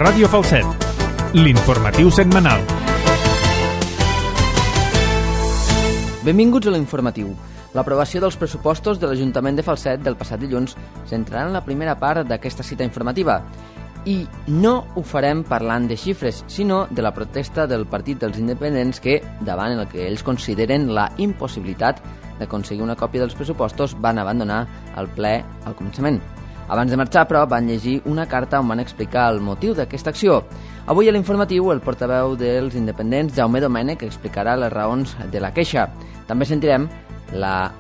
Ràdio Falset, l'informatiu setmanal. Benvinguts a l'informatiu. L'aprovació dels pressupostos de l'Ajuntament de Falset del passat dilluns centrarà en la primera part d'aquesta cita informativa. I no ho farem parlant de xifres, sinó de la protesta del Partit dels Independents que, davant el que ells consideren la impossibilitat d'aconseguir una còpia dels pressupostos, van abandonar el ple al començament. Abans de marxar, però, van llegir una carta on van explicar el motiu d'aquesta acció. Avui a l'informatiu, el portaveu dels Independents, Jaume Domènech, explicarà les raons de la queixa. També sentirem la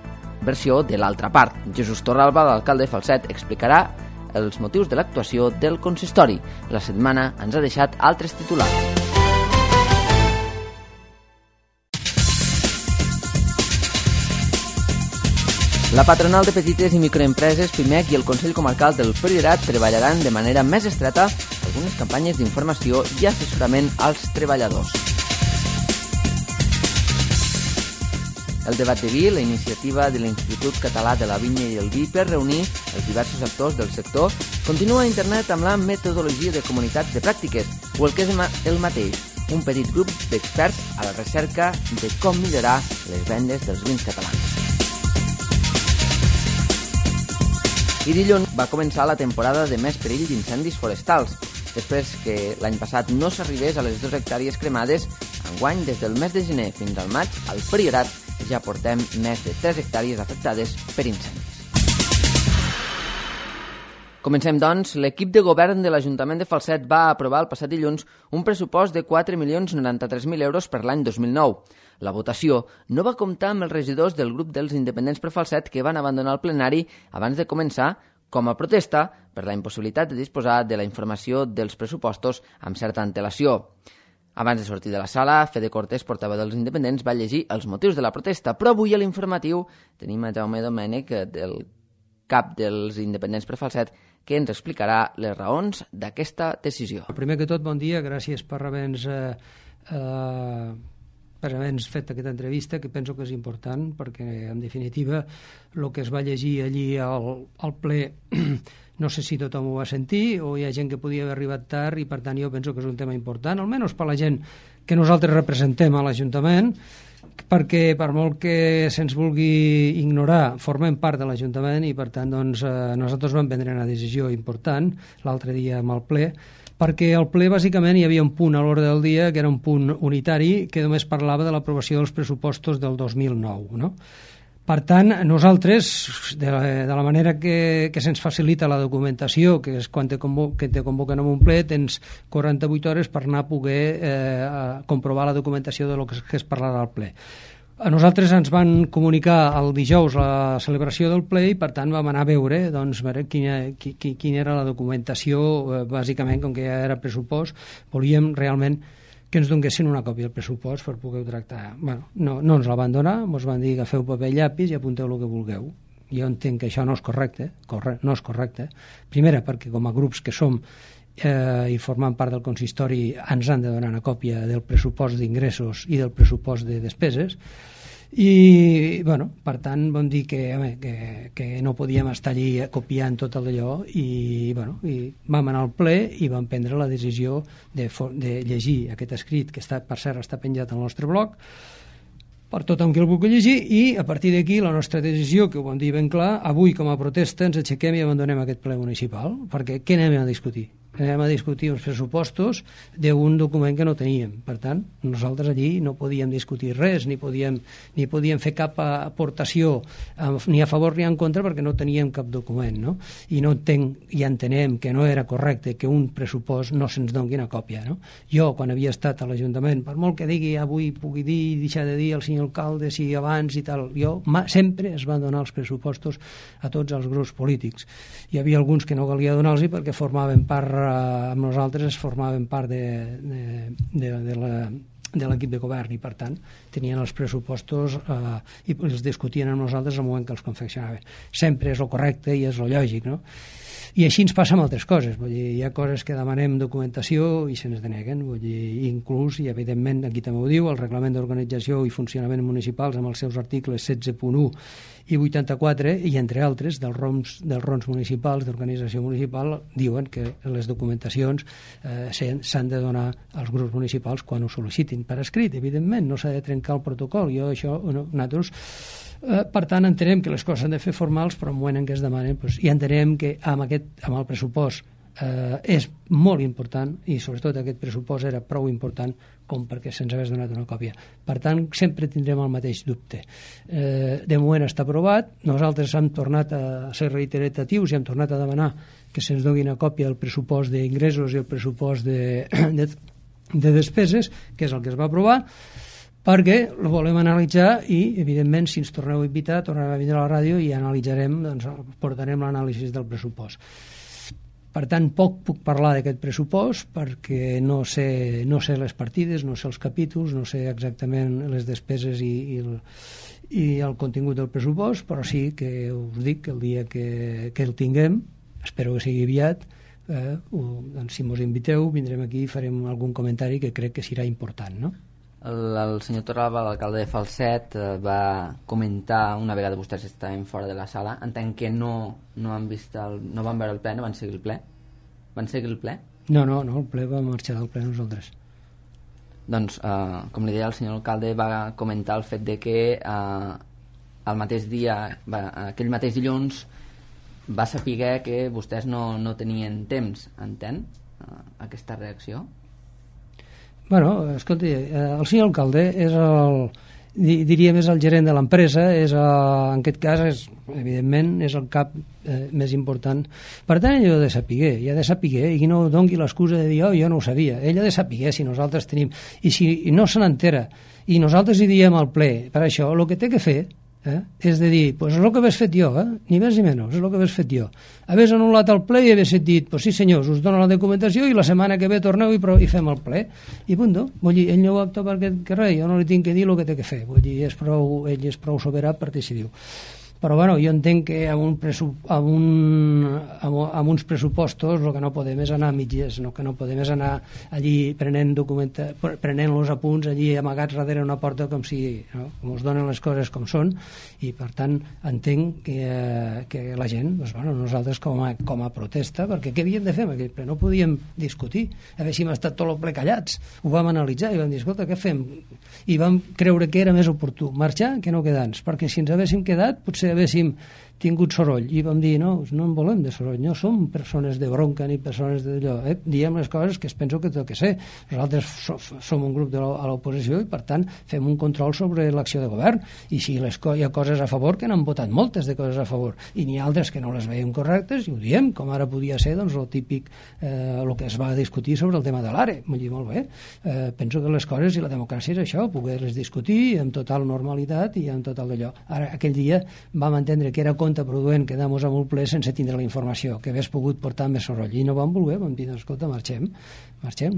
versió de l'altra part. Jesús Torralba, l'alcalde de Falset, explicarà els motius de l'actuació del consistori. La setmana ens ha deixat altres titulars. La patronal de petites i microempreses, PIMEC, i el Consell Comarcal del Priorat treballaran de manera més estreta algunes campanyes d'informació i assessorament als treballadors. El debat de vi, la iniciativa de l'Institut Català de la Vinya i el Vi per reunir els diversos actors del sector, continua a internet amb la metodologia de comunitats de pràctiques, o el que és el mateix, un petit grup d'experts a la recerca de com millorar les vendes dels vins catalans. I dilluns va començar la temporada de més perill d'incendis forestals. Després que l'any passat no s'arribés a les 2 hectàrees cremades, enguany, des del mes de gener fins al maig, al Priorat ja portem més de 3 hectàrees afectades per incendis. Comencem, doncs. L'equip de govern de l'Ajuntament de Falset va aprovar el passat dilluns un pressupost de 4.093.000 euros per l'any 2009. La votació no va comptar amb els regidors del grup dels Independents per Falset que van abandonar el plenari abans de començar com a protesta per la impossibilitat de disposar de la informació dels pressupostos amb certa antelació. Abans de sortir de la sala, Fede Cortés, portaveu dels Independents, va llegir els motius de la protesta, però avui a l'informatiu tenim a Jaume Domènech, del cap dels Independents per Falset, que ens explicarà les raons d'aquesta decisió. Primer que tot, bon dia, gràcies per haver-nos fet aquesta entrevista, que penso que és important, perquè, en definitiva, el que es va llegir allí al ple, no sé si tothom ho va sentir, o hi ha gent que podia haver arribat tard, i per tant jo penso que és un tema important, almenys per la gent que nosaltres representem a l'Ajuntament, perquè per molt que se'ns vulgui ignorar, formem part de l'Ajuntament i per tant doncs, nosaltres vam prendre una decisió important l'altre dia amb el ple, perquè al ple bàsicament hi havia un punt a l'ordre del dia que era un punt unitari que només parlava de l'aprovació dels pressupostos del 2009, no? Per tant, nosaltres, de la manera que se'ns facilita la documentació, que és quan te convoquen a un ple, tens 48 hores per anar a poder comprovar la documentació de lo que es parlarà al ple. A nosaltres ens van comunicar el dijous la celebració del ple i, per tant, vam anar a veure quina era la documentació, bàsicament, com que ja era pressupost, volíem realment que ens donessin una còpia del pressupost per poder tractar. Bueno, no ens la van donar, ens van dir que agafeu paper i llapis i apunteu el que vulgueu. Jo entenc que això no és correcte, no és correcte. Primera, perquè com a grups que som i formant part del consistori ens han de donar una còpia del pressupost d'ingressos i del pressupost de despeses. I, bueno, per tant, vam dir que no podíem estar allí copiant tot allò i vam anar al ple i vam prendre la decisió de llegir aquest escrit, que per cert està penjat al nostre blog, per tothom que el vulgui llegir, i a partir d'aquí la nostra decisió, que ho vam dir ben clar, avui com a protesta ens aixequem i abandonem aquest ple municipal, perquè què anem a discutir? Anem a discutir els pressupostos d'un document que no teníem. Per tant, nosaltres allí no podíem discutir res, ni podíem fer cap aportació ni a favor ni en contra perquè no teníem cap document, no? I no entenc i entenem que no era correcte que un pressupost no se'ns doni una còpia, no? Jo, quan havia estat a l'Ajuntament, per molt que digui avui pugui dir i deixar de dir al senyor alcalde si abans i tal, sempre es van donar els pressupostos a tots els grups polítics. Hi havia alguns que no calia donar-los perquè formaven part amb nosaltres formaven part de l'equip de govern i per tant tenien els pressupostos i els discutien amb nosaltres al moment que els confeccionaven. Sempre és el correcte i és el lògic, no? I així ens passa amb altres coses. Vull dir, hi ha coses que demanem documentació i se'ns deneguen. Vull dir, inclús, i evidentment aquí també ho diu, el Reglament d'Organització i Funcionament Municipals amb els seus articles 16.1 i 84, i entre altres, dels ROMs municipals, d'organització municipal, diuen que les documentacions s'han de donar als grups municipals quan ho sol·licitin per escrit, evidentment, no s'ha de trencar el protocol. Nosaltres, per tant, entenem que les coses s'han de fer formals, però en el moment en què es demanen, i entenem que amb el pressupost és molt important, i sobretot aquest pressupost era prou important com perquè se'ns hagués donat una còpia. Per tant, sempre tindrem el mateix dubte. De moment està aprovat, nosaltres hem tornat a ser reiteratius i hem tornat a demanar que se'ns doni una còpia del pressupost d'ingressos i el pressupost de despeses, que és el que es va aprovar, perquè el volem analitzar i, evidentment, si ens torneu a invitar, tornarem a vindre a la ràdio i analitzarem, portarem l'anàlisi del pressupost. Per tant, poc puc parlar d'aquest pressupost perquè no sé les partides, no sé els capítols, no sé exactament les despeses i el contingut del pressupost, però sí que us dic que el dia que el tinguem, espero que sigui aviat, doncs si mos inviteu vindrem aquí i farem algun comentari que crec que serà important, no? El senyor Torralba, l'alcalde de Falset, va comentar una vegada vostès estaven fora de la sala. Entenc que no van veure el ple, no van seguir el ple? Van seguir el ple? No, el ple va marxar del ple nosaltres. Doncs, com li deia, el senyor alcalde va comentar el fet de que el mateix dia, aquell mateix dilluns, va saber que vostès no tenien temps. Entén aquesta reacció? Bueno, escolti, el senyor alcalde és diríem és el gerent de l'empresa, en aquest cas evidentment és el cap més important. Per tant, ell ha de saber, i no doni l'excusa de dir jo no ho sabia. Ell ha de saber si nosaltres tenim, i si no se n'entera i nosaltres hi diem al ple, per això el que té que fer és de dir, és el que hagués fet jo, ni més ni menys, és el que hagués fet jo. Hagués anul·lat el ple i hagués dit, sí senyors, us dono la documentació i la setmana que ve torneu i fem el ple. I punt. Vull dir, ell no ho opta perquè res, jo no li tinc que dir el que té que fer. Vull dir, ell és prou soberà per decidir-ho. Però bueno, jo entenc que amb uns pressupostos el que no podem és anar a mitges, que no podem és anar allí prenent els apunts allí amagats darrere una porta com es donen les coses com són, i per tant entenc que la gent, nosaltres com a protesta, perquè què havíem de fer amb aquell ple? No podíem discutir, haguéssim estat tot el ple callats, ho vam analitzar i vam dir, escolta, què fem? I vam creure que era més oportú marxar que no quedar-nos, perquè si ens haguéssim quedat potser haguéssim tingut soroll, i vam dir no en volem de soroll, no som persones de bronca ni persones d'allò, diem les coses que es penso que té que ser. Nosaltres som un grup a l'oposició i per tant fem un control sobre l'acció de govern, i si hi ha coses a favor, que n'han votat moltes de coses a favor, i n'hi ha altres que no les veiem correctes i ho diem, com ara podia ser el típic el que es va discutir sobre el tema de l'ARE. Vull dir, molt bé, penso que les coses i la democràcia és això, poder-les discutir amb total normalitat i amb total d'allò. Ara, aquell dia vam entendre que era contraproduent quedar-nos amb un ple sense tindre la informació, que hagués pogut portar més soroll, i no vam voler, vam dir, escolta, marxem,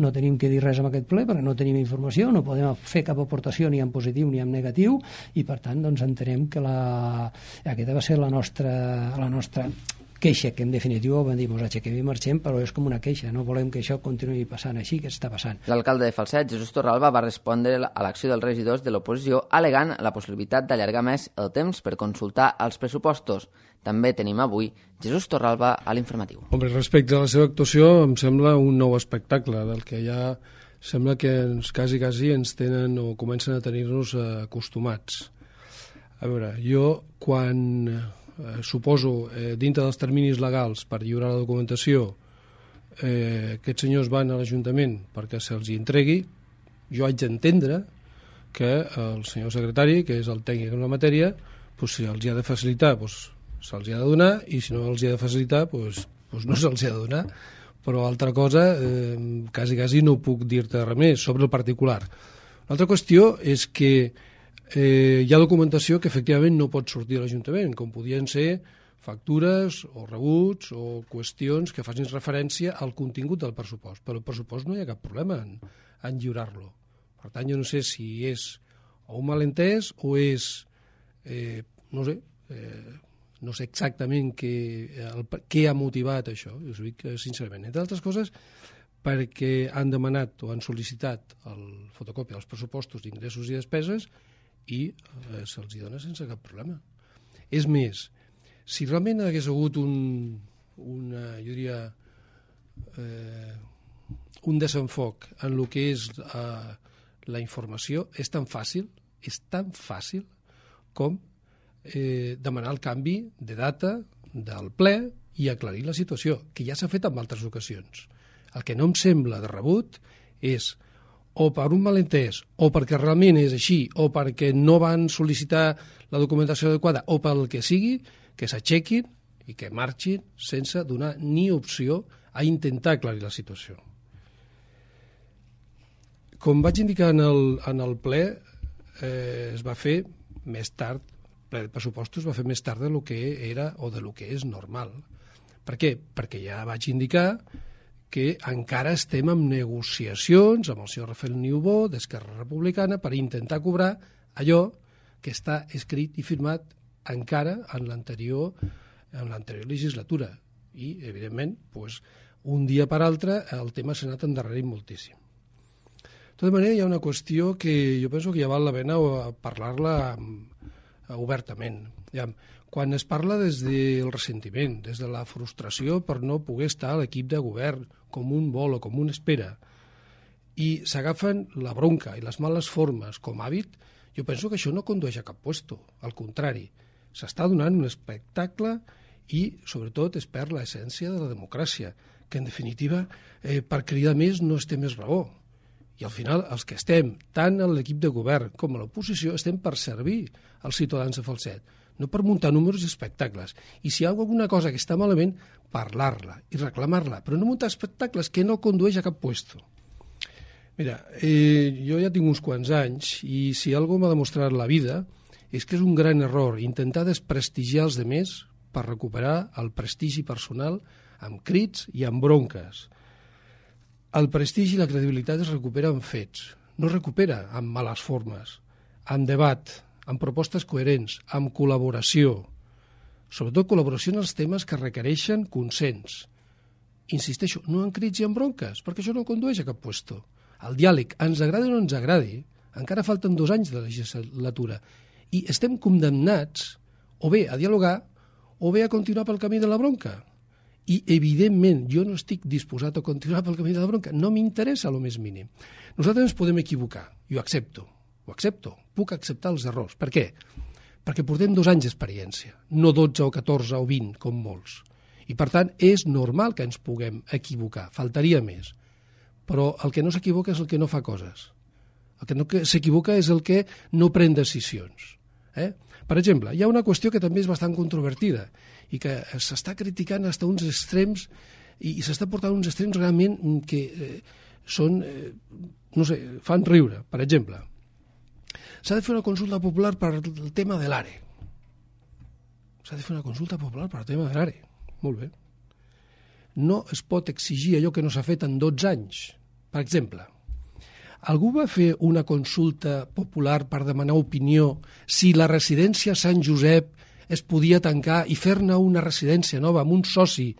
no tenim que dir res amb aquest ple perquè no tenim informació, no podem fer cap aportació ni en positiu ni en negatiu, i per tant doncs entenem que aquesta va ser la nostra queixa, que en definitiva vam dir, aixequem i marxem, però és com una queixa, no volem que això continuï passant així, que està passant. L'alcalde de Falset, Jesús Torralba, va respondre a l'acció dels regidors de l'oposició al·legant la possibilitat d'allargar més el temps per consultar els pressupostos. També tenim avui Jesús Torralba a l'informatiu. Home, respecte a la seva actuació, em sembla un nou espectacle, del que ja sembla que quasi ens tenen o comencen a tenir-nos acostumats. A veure, jo quan suposo, dintre dels terminis legals per lliurar la documentació, aquests senyors van a l'Ajuntament perquè se'ls entregui, jo haig d'entendre que el senyor secretari, que és el tècnic en la matèria, si els ha de facilitar, se'ls ha de donar, i si no els ha de facilitar, no se'ls ha de donar. Però altra cosa, quasi no puc dir-te res més sobre el particular. L'altra qüestió és que hi ha documentació que efectivament no pot sortir a l'Ajuntament, com podien ser factures o rebuts o qüestions que facin referència al contingut del pressupost. Però el pressupost no hi ha cap problema en lliurar-lo. Per tant, jo no sé si és o un malentès o és, no sé exactament què ha motivat això. Jo us dic sincerament, entre altres coses, perquè han demanat o han sol·licitat el fotocòpia dels pressupostos d'ingressos i despeses i se'ls dona sense cap problema. És més, si realment hagués hagut un desenfoc en el que és la informació, és tan fàcil com demanar el canvi de data del ple i aclarir la situació, que ja s'ha fet en altres ocasions. El que no em sembla de rebut és, o per un malentès, o perquè realment és així, o perquè no van sol·licitar la documentació adequada, o pel que sigui, que s'aixequin i que marxin sense donar ni opció a intentar aclarir la situació. Com vaig indicar en el ple, es va fer més tard, el ple de pressupostos es va fer més tard del que era o del que és normal. Per què? Perquè ja vaig indicar que encara estem en negociacions amb el senyor Rafael Niubó d'Esquerra Republicana per intentar cobrar allò que està escrit i firmat encara en l'anterior legislatura. I, evidentment, un dia per altre el tema s'ha anat endarrerint moltíssim. De tota manera, hi ha una qüestió que jo penso que ja val la pena parlar-la obertament. Quan es parla des del ressentiment, des de la frustració per no poder estar a l'equip de govern com un vol o com un espera, i s'agafen la bronca i les males formes com hàbit, jo penso que això no condueix a cap puesto. Al contrari, s'està donant un espectacle i, sobretot, es perd l'essència de la democràcia, que, en definitiva, per cridar més no es té més raó. I al final els que estem, tant a l'equip de govern com a l'oposició, estem per servir als ciutadans de Falset, no per muntar números i espectacles. I si hi ha alguna cosa que està malament, parlar-la i reclamar-la, però no muntar espectacles que no condueix a cap puesto. Mira, jo ja tinc uns quants anys i si alguna cosa m'ha demostrat la vida és que és un gran error intentar desprestigiar els demés per recuperar el prestigi personal amb crits i amb bronques. El prestigi i la credibilitat es recupera amb fets, no es recupera amb males formes, amb debat, amb propostes coherents, amb col·laboració, sobretot col·laboració en els temes que requereixen consens. Insisteixo, no en crits i en bronques, perquè això no condueix a cap puesto. El diàleg, ens agradi o no ens agradi, encara falten 2 anys de legislatura, i estem condemnats o bé a dialogar o bé a continuar pel camí de la bronca. I, evidentment, jo no estic disposat a continuar pel camí de la bronca. No m'interessa el més mínim. Nosaltres ens podem equivocar, i ho accepto. Puc acceptar els errors. Per què? Perquè portem 2 anys d'experiència, no 12 o 14 o 20, com molts. I, per tant, és normal que ens puguem equivocar, faltaria més. Però el que no s'equivoca és el que no fa coses. El que no s'equivoca és el que no pren decisions. Per exemple, hi ha una qüestió que també és bastant controvertida i que s'està criticant fins a uns extrems i s'està portant uns extrems realment que són, no sé, fan riure. Per exemple, s'ha de fer una consulta popular per el tema de l'ARE. S'ha de fer una consulta popular per el tema de l'ARE. Molt bé. No es pot exigir allò que no s'ha fet en 12 anys. Per exemple, algú va fer una consulta popular per demanar opinió si la residència Sant Josep es podia tancar i fer-ne una residència nova amb un soci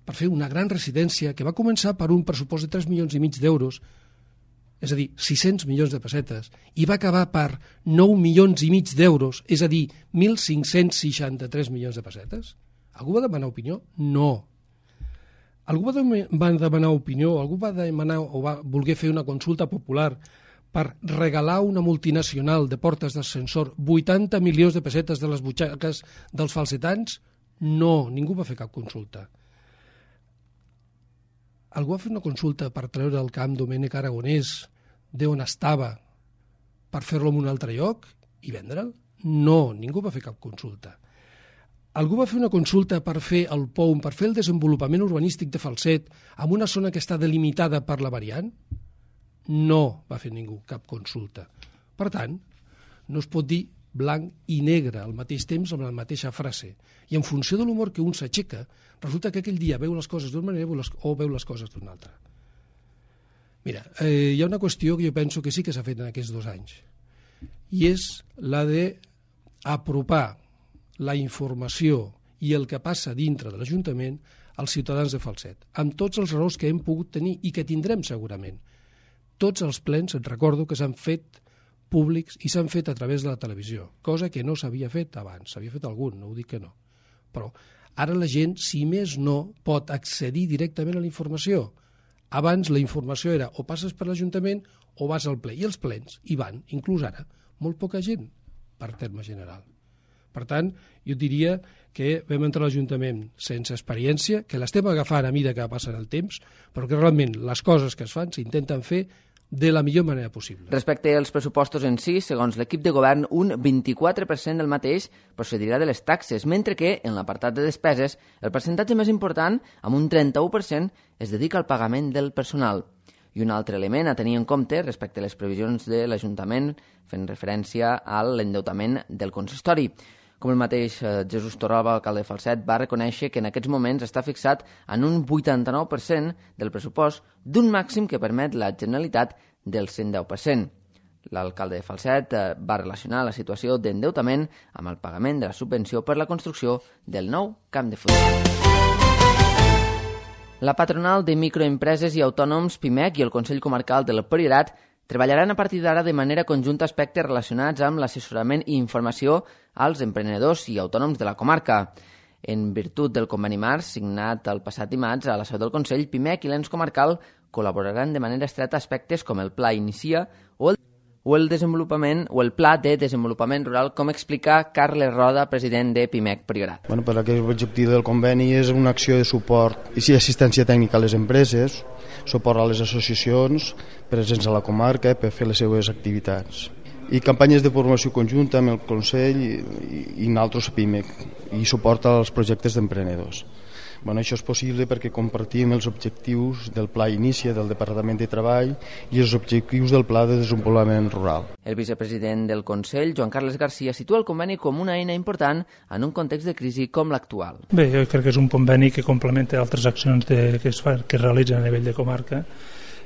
per fer una gran residència que va començar per un pressupost de 3,5 milions d'euros, és a dir, 600 milions de pessetes, i va acabar per 9,5 milions d'euros, és a dir, 1.563 milions de pessetes? Algú va demanar opinió? No. Algú va demanar opinió, algú va demanar o va voler fer una consulta popular per regalar una multinacional de portes d'ascensor 80 milions de pessetes de les butxaques dels falsetans? No, ningú va fer cap consulta. Algú va fer una consulta per treure al camp Domènec Aragonès d'on estava per fer-lo en un altre lloc i vendre'l? No, ningú va fer cap consulta. Algú va fer una consulta per fer el POUM, per fer el desenvolupament urbanístic de Falset en una zona que està delimitada per la variant? No va fer ningú cap consulta. Per tant, no es pot dir blanc i negre al mateix temps amb la mateixa frase. I en funció de l'humor que un s'aixeca, resulta que aquell dia veu les coses d'una manera o veu les coses d'una altra. Mira, hi ha una qüestió que jo penso que sí que s'ha fet en aquests 2 anys, i és la d'apropar la informació i el que passa dintre de l'Ajuntament als ciutadans de Falset, amb tots els errors que hem pogut tenir i que tindrem segurament. Tots els plens, et recordo, que s'han fet públics i s'han fet a través de la televisió, cosa que no s'havia fet abans. S'havia fet algun, no ho dic que no. Però ara la gent, si més no, pot accedir directament a la informació. Abans la informació era o passes per l'Ajuntament o vas al ple. I els plens hi van, inclús ara, molt poca gent, per terme general. Per tant, jo diria que vam entrar a l'Ajuntament sense experiència, que l'estem agafant a mesura que passa el temps, però que realment les coses que es fan s'intenten fer de la millor manera possible. Respecte als pressupostos en si, segons l'equip de govern, un 24% del mateix procedirà de les taxes, mentre que, en l'apartat de despeses, el percentatge més important, amb un 31%, es dedica al pagament del personal. I un altre element a tenir en compte respecte a les previsions de l'Ajuntament, fent referència a l'endeutament del consistori. Com el mateix Jesús Torralba, alcalde de Falset, va reconèixer que en aquests moments està fixat en un 89% del pressupost d'un màxim que permet la Generalitat del 110%. L'alcalde de Falset va relacionar la situació d'endeutament amb el pagament de la subvenció per la construcció del nou camp de futbol. La patronal de microempreses i autònoms PIMEC i el Consell Comarcal del Priorat treballaran a partir d'ara de manera conjunta aspectes relacionats amb l'assessorament i informació als emprenedors i autònoms de la comarca. En virtut del conveni marc signat el passat dimarts a la seu del Consell, PIMEC i l'ens comarcal col·laboraran de manera estreta aspectes com el Pla Inicia o el Pla de Desenvolupament Rural, com explica Carles Roda, president de PIMEC Priorat. Per aquest objectiu del conveni és una acció de suport i assistència tècnica a les empreses, suport a les associacions presents a la comarca per fer les seues activitats, i campanyes de formació conjunta amb el Consell i nosaltres a PIMEC, i suport als projectes d'emprenedors. Això és possible perquè compartim els objectius del Pla Inicia del Departament de Treball i els objectius del Pla de Desenvolupament Rural. El vicepresident del Consell, Joan Carles Garcia, situa el conveni com una eina important en un context de crisi com l'actual. Bé, jo crec que és un conveni que complementa altres accions que es realitzen a nivell de comarca.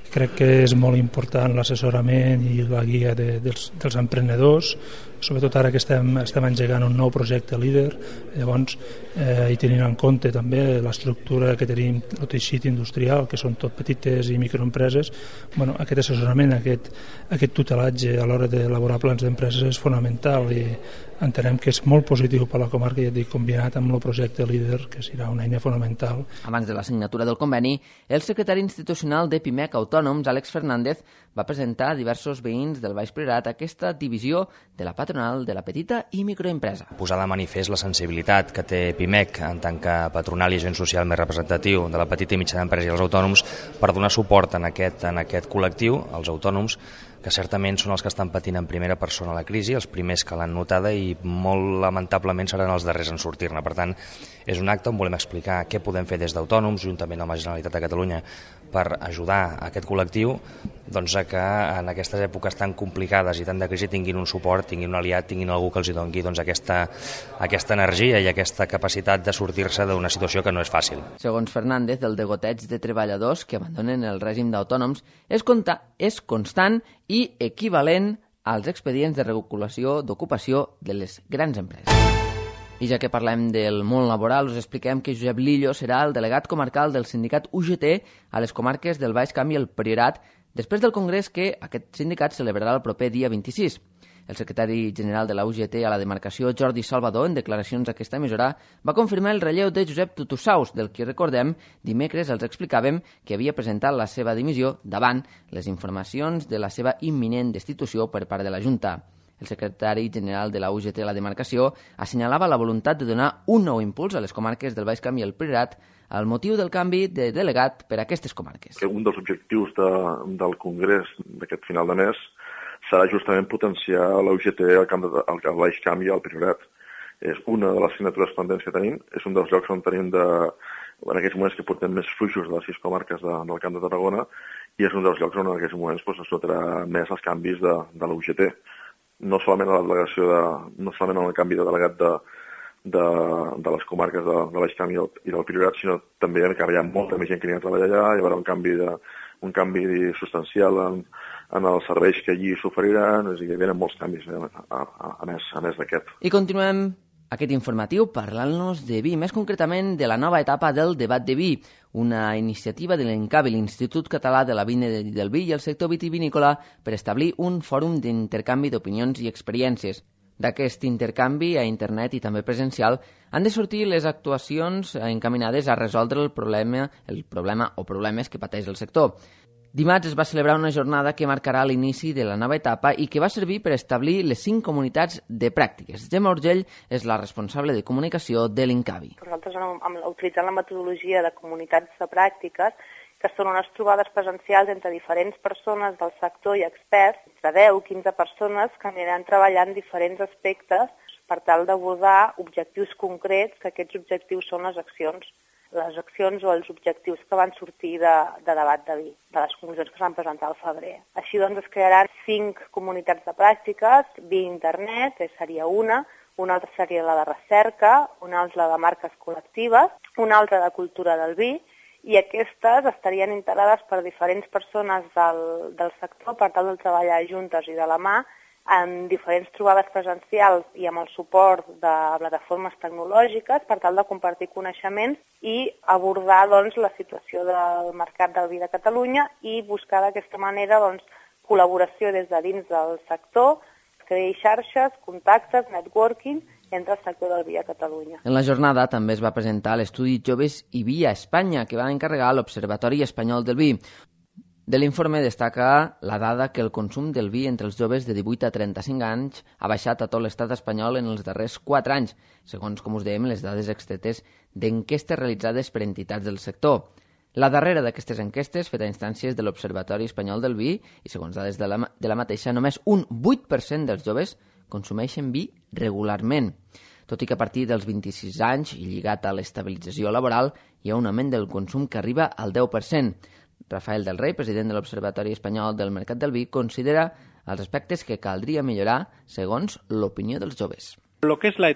Crec que és molt important l'assessorament i la guia dels emprenedors, sobretot ara que estem engegant un nou projecte líder. Llavors, i tenint en compte també l'estructura que tenim, el teixit industrial, que són tot petites i microempreses, aquest assessorament, aquest tutelatge a l'hora d'elaborar plans d'empreses és fonamental i entenem que és molt positiu per la comarca, ja dic, combinat amb el projecte líder, que serà una eina fonamental. Abans de la signatura del conveni, el secretari institucional de PIMEC Autònoms, Àlex Fernández, va presentar a diversos veïns del Baix Priorat aquesta divisió de la patronal de la petita i microempresa. Posar de manifest la sensibilitat que té PIMEC en tant que patronal i agent social més representatiu de la petita i mitjana empresa i els autònoms per donar suport en aquest col·lectiu, els autònoms, que certament són els que estan patint en primera persona la crisi, els primers que l'han notada i molt lamentablement seran els darrers en sortir-ne. Per tant, és un acte on volem explicar què podem fer des d'autònoms, juntament amb la Generalitat de Catalunya, per ajudar a aquest col·lectiu a que en aquestes èpoques tan complicades i tan de crisi tinguin un suport, tinguin un aliat, tinguin algú que els doni aquesta energia i aquesta capacitat de sortir-se d'una situació que no és fàcil. Segons Fernández, el degoteig de treballadors que abandonen el règim d'autònoms és constant i equivalent als expedients de regulació d'ocupació de les grans empreses. I ja que parlem del món laboral, us expliquem que Josep Lillo serà el delegat comarcal del sindicat UGT a les comarques del Baix Camp i el Priorat, després del congrés que aquest sindicat celebrarà el proper dia 26. El secretari general de la UGT a la demarcació, Jordi Salvador, en declaracions a aquesta emissora, va confirmar el relleu de Josep Tutussaus, del que recordem, dimecres els explicàvem que havia presentat la seva dimissió davant les informacions de la seva imminent destitució per part de la Junta. El secretari general de la UGT a la demarcació assenyalava la voluntat de donar un nou impuls a les comarques del Baix Camp i el Priorat al motiu del canvi de delegat per a aquestes comarques. Un dels objectius del congrés d'aquest final de mes serà justament potenciar la UGT al Baix Camp i al Priorat. És una de les signatures pendents que tenim, és un dels llocs on tenim en aquests moments que portem més fluixos de les 6 comarques del Camp de Tarragona i és un dels llocs on en aquests moments es notarà més els canvis de la UGT. No solament a la delegació no solament en el canvi de delegat de les comarques de Baix Camp i del Priorat, sinó també que hi ha molta més gent que anirà a treballar allà, hi haurà un canvi substancial en els serveis que allí s'oferiran, és a dir, hi ha molts canvis a més d'aquest. I continuem Aquest informatiu parlant-nos de vi, més concretament de la nova etapa del debat de vi, una iniciativa de l'INCAVI, l'Institut Català de la Vinya del Vi i el sector vitivinícola, per establir un fòrum d'intercanvi d'opinions i experiències. D'aquest intercanvi a internet i també presencial han de sortir les actuacions encaminades a resoldre el problema o problemes que pateix el sector. Dimarts es va celebrar una jornada que marcarà l'inici de la nova etapa i que va servir per establir les 5 comunitats de pràctiques. Gemma Urgell és la responsable de comunicació de l'INCAVI. Nosaltres, utilitzant la metodologia de comunitats de pràctiques, que són unes trobades presencials entre diferents persones del sector i experts, entre 10-15 persones que aniran treballant diferents aspectes per tal d'abordar objectius concrets, que aquests objectius són les accions o els objectius que van sortir de debat de vi, de les conclusions que es van presentar al febrer. Així doncs es crearan 5 comunitats de pràctiques, vi internet, seria una altra seria la de recerca, una altra la de marques col·lectives, una altra de cultura del vi, i aquestes estarien integrades per diferents persones del sector per tal de treballar juntes i de la mà en diferents trobades presencials i amb el suport de plataformes tecnològiques per tal de compartir coneixements i abordar la situació del mercat del vi de Catalunya i buscar d'aquesta manera col·laboració des de dins del sector, crear xarxes, contactes, networking entre el sector del vi a Catalunya. En la jornada també es va presentar l'estudi Joves i Vi a Espanya, que va encarregar l'Observatori Espanyol del Vi. De l'informe destaca la dada que el consum del vi entre els joves de 18 a 35 anys ha baixat a tot l'estat espanyol en els darrers 4 anys, segons, com us dèiem, les dades extretes d'enquestes realitzades per entitats del sector. La darrera d'aquestes enquestes, feta a instàncies de l'Observatori Espanyol del Vi, i segons dades de la mateixa, només un 8% dels joves consumeixen vi regularment. Tot i que a partir dels 26 anys i lligat a l'estabilització laboral hi ha un augment del consum que arriba al 10%. Rafael del Rey, president de l'Observatori Espanyol del Mercat del Vi, considera els aspectes que caldria millorar segons l'opinió dels joves. Lo que es esa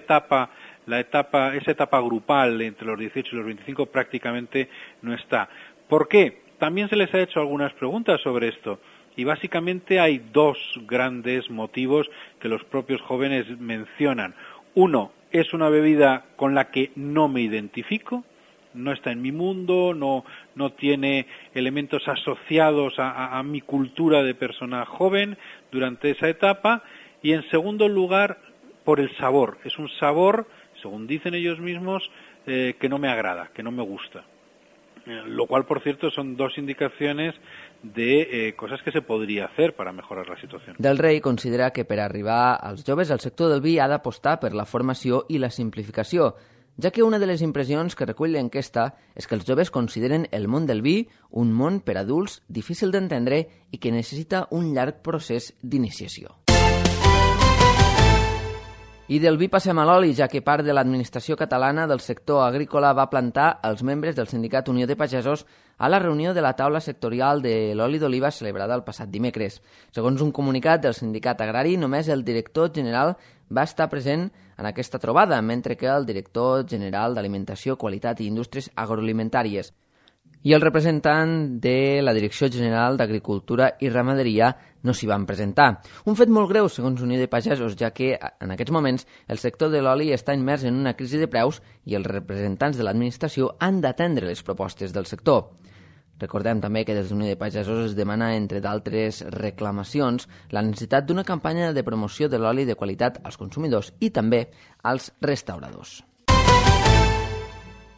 etapa grupal entre los 18 y los 25 prácticamente no está. ¿Por qué? También se les ha hecho algunas preguntas sobre esto. Y básicamente hay 2 grandes motivos que los propios jóvenes mencionan. Uno, es una bebida con la que no me identifico, no está en mi mundo, no tiene elementos asociados a mi cultura de persona joven durante esa etapa. Y en segundo lugar, por el sabor. Es un sabor, según dicen ellos mismos, que no me agrada, que no me gusta. Lo cual, por cierto, son 2 indicaciones de cosas que se podria hacer para mejorar la situació. Del Rey considera que per arribar als joves el sector del vi ha d'apostar per la formació i la simplificació, ja que una de les impressions que recull l'enquesta és que els joves consideren el món del vi un món per adults difícil d'entendre i que necessita un llarg procés d'iniciació. I del vi passem a l'oli, ja que part de l'administració catalana del sector agrícola va plantar els membres del sindicat Unió de Pagesos a la reunió de la taula sectorial de l'oli d'oliva celebrada el passat dimecres. Segons un comunicat del sindicat agrari, només el director general va estar present en aquesta trobada, mentre que el director general d'Alimentació, Qualitat i Indústries Agroalimentàries i el representant de la Direcció General d'Agricultura i Ramaderia no s'hi van presentar. Un fet molt greu, segons Unió de Pagesos, ja que en aquests moments el sector de l'oli està immers en una crisi de preus i els representants de l'administració han d'atendre les propostes del sector. Recordem també que des d'Unió de Pagesos es demana, entre d'altres reclamacions, la necessitat d'una campanya de promoció de l'oli de qualitat als consumidors i també als restauradors.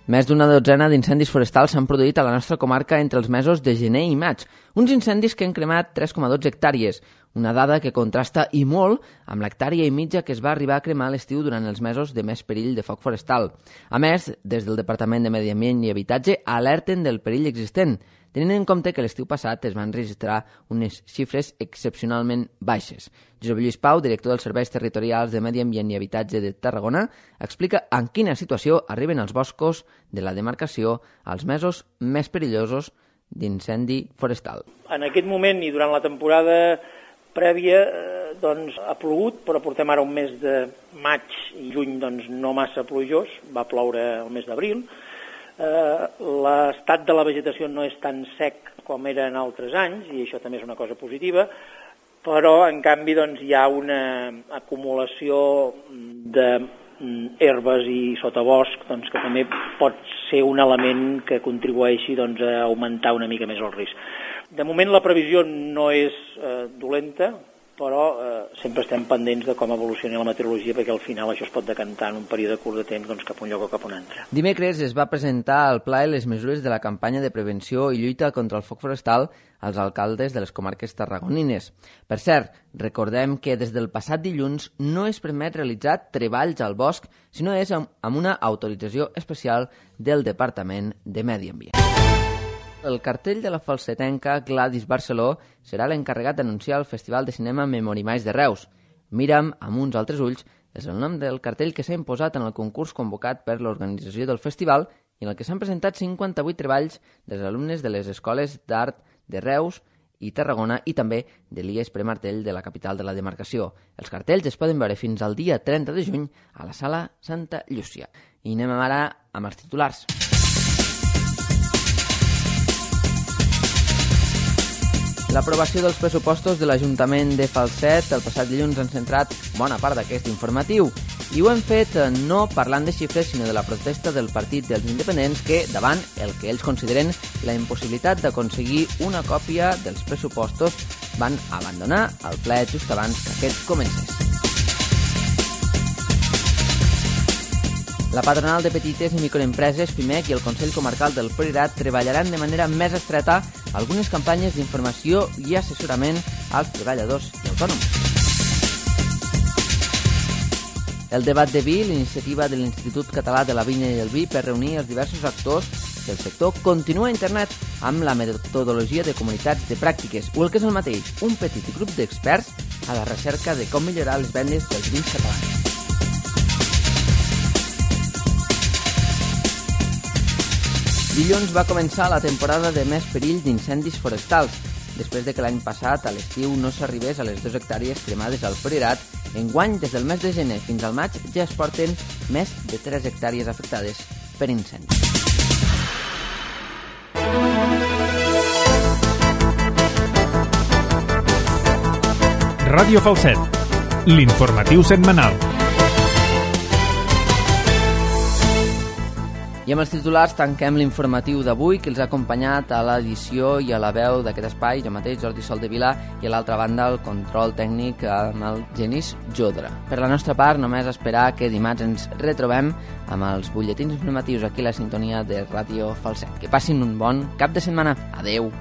Més d'una dotzena d'incendis forestals s'han produït a la nostra comarca entre els mesos de gener i maig. Uns incendis que han cremat 3,12 hectàrees, una dada que contrasta i molt amb l'hectàrea i mitja que es va arribar a cremar a l'estiu durant els mesos de més perill de foc forestal. A més, des del Departament de Medi Ambient i Habitatge alerten del perill existent, tenint en compte que l'estiu passat es van registrar unes xifres excepcionalment baixes. Josep Lluís Pau, director dels Serveis Territorials de Medi Ambient i Habitatge de Tarragona, explica en quina situació arriben els boscos de la demarcació als mesos més perillosos d'incendi forestal. En aquest moment i durant la temporada prèvia ha plogut, però portem ara un mes de maig i juny no massa plujós, va ploure el mes d'abril. L'estat de la vegetació no és tan sec com era en altres anys, i això també és una cosa positiva, però en canvi hi ha una acumulació de herbes i sotabosc, doncs, que també pot ser un element que contribueixi doncs, a augmentar una mica més el risc. De moment la previsió no és dolenta, però sempre estem pendents de com evolucioni la meteorologia, perquè al final això es pot decantar en un període curt de temps doncs, cap a un lloc o cap a un altre. Dimecres es va presentar al Pla les mesures de la campanya de prevenció i lluita contra el foc forestal als alcaldes de les comarques tarragonines. Per cert, recordem que des del passat dilluns no es permet realitzar treballs al bosc, sinó és amb una autorització especial del Departament de Medi Ambient. El cartell de la falsetenca Gladys Barceló serà l'encarregat d'anunciar el Festival de Cinema Memorimais de Reus. Mira'm amb uns altres ulls és el nom del cartell que s'ha imposat en el concurs convocat per l'organització del festival i en el que s'han presentat 58 treballs dels alumnes de les escoles d'art de Reus i Tarragona i també de l'IES Premartell de la capital de la demarcació. Els cartells es poden veure fins al dia 30 de juny a la Sala Santa Llúcia. I anem ara amb els titulars. L'aprovació dels pressupostos de l'Ajuntament de Falset el passat dilluns han centrat bona part d'aquest informatiu i ho hem fet no parlant de xifres sinó de la protesta del Partit dels Independents que, davant el que ells consideren la impossibilitat d'aconseguir una còpia dels pressupostos, van abandonar el ple just abans que aquest comencés. La patronal de petites i microempreses, PIMEC, i el Consell Comarcal del Priorat treballaran de manera més estreta algunes campanyes d'informació i assessorament als treballadors i autònoms. El debat de vi, l'iniciativa de l'Institut Català de la Vinya i el Vi per reunir els diversos actors del sector, continua a internet amb la metodologia de comunitats de pràctiques, o el que és el mateix, un petit grup d'experts a la recerca de com millorar les vendes dels vins catalans. Dilluns va començar la temporada de més perill d'incendis forestals. Després de que l'any passat, a l'estiu, no s'arribés a les 2 hectàrees cremades al Priorat, enguany, des del mes de gener fins al maig, ja es porten més de 3 hectàrees afectades per incendis. Ràdio Falset, l'informatiu setmanal. I amb els titulars tanquem l'informatiu d'avui, que els ha acompanyat a l'edició i a la veu d'aquest espai, jo mateix, Jordi Soldevila, i a l'altra banda el control tècnic amb el Genís Jodra. Per la nostra part, només esperar que dimarts ens retrobem amb els butlletins informatius aquí a la sintonia de Ràdio Falset. Que passin un bon cap de setmana. Adeu!